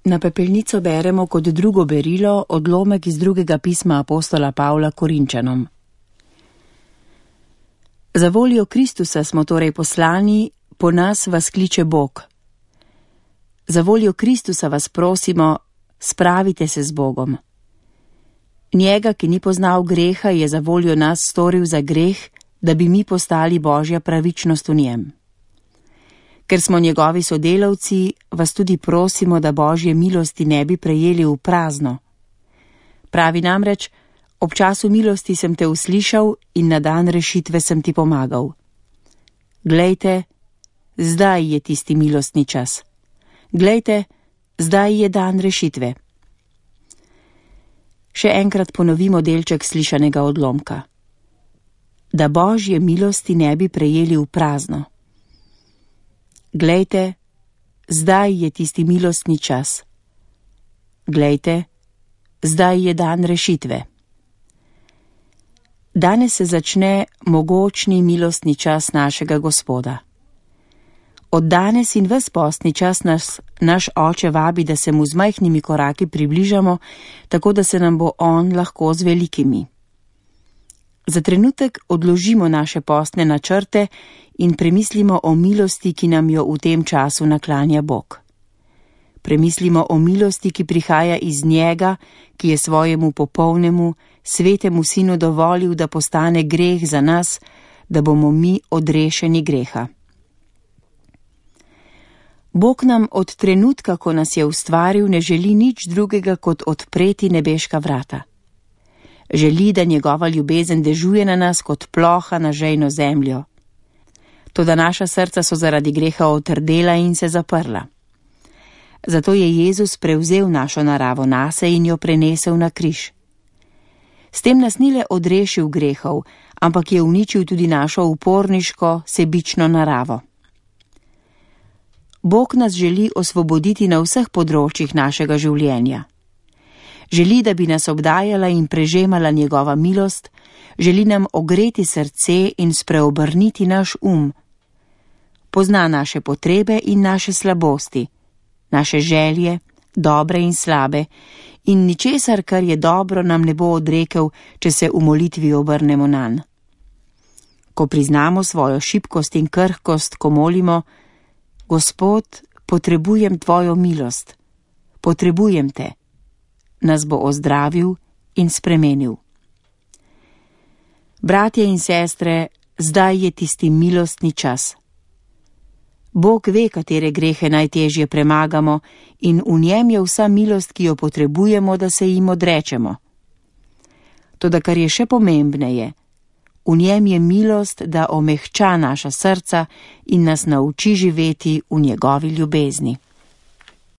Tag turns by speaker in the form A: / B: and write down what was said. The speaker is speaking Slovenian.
A: Na pepelnico beremo kot drugo berilo odlomek iz drugega pisma apostola Pavla Korinčanom. Za voljo Kristusa smo torej poslani, po nas vas kliče Bog. Za voljo Kristusa vas prosimo, spravite se z Bogom. Njega, ki ni poznal greha, je za voljo nas storil za greh, da bi mi postali Božja pravičnost v njem. Ker smo njegovi sodelavci, vas tudi prosimo, da Božje milosti ne bi prejeli v prazno. Pravi namreč, ob času milosti sem te uslišal in na dan rešitve sem ti pomagal. Glejte, zdaj je tisti milostni čas. Glejte, zdaj je dan rešitve. Še enkrat ponovimo delček slišanega odlomka. Da Božje milosti ne bi prejeli v prazno. Glejte, zdaj je tisti milostni čas. Glejte, zdaj je dan rešitve. Danes se začne mogočni milostni čas našega Gospoda. Od danes in ves postni čas nas naš Oče vabi, da se mu z majhnimi koraki približamo, tako da se nam bo on lahko z velikimi. Za trenutek odložimo naše postne načrte in premislimo o milosti, ki nam jo v tem času naklanja Bog. Premislimo o milosti, ki prihaja iz njega, ki je svojemu popolnemu, svetemu sinu dovolil, da postane greh za nas, da bomo mi odrešeni greha. Bog nam od trenutka, ko nas je ustvaril, ne želi nič drugega, kot odpreti nebeška vrata. Želi, da njegova ljubezen dežuje na nas kot ploha na žejno zemljo. Toda naša srca so zaradi greha otrdela in se zaprla. Zato je Jezus prevzel našo naravo nase in jo prenesel na križ. S tem nas ni le odrešil grehov, ampak je uničil tudi našo uporniško, sebično naravo. Bog nas želi osvoboditi na vseh področjih našega življenja. Želi, da bi nas obdajala in prežemala njegova milost, želi nam ogreti srce in spreobrniti naš Pozna naše potrebe in naše slabosti, naše želje, dobre in slabe, in ničesar, kar je dobro, nam ne bo odrekel, če se v molitvi obrnemo nanj. Ko priznamo svojo šibkost in krhkost, ko molimo, Gospod, potrebujem tvojo milost, potrebujem te, nas bo ozdravil in spremenil. Bratje in sestre, zdaj je tisti milostni čas. Bog ve, katere grehe najtežje premagamo, in v njem je vsa milost, ki jo potrebujemo, da se jim odrečemo. Toda kar je še pomembneje, v njem je milost, da omehča naša srca in nas nauči živeti v njegovi ljubezni.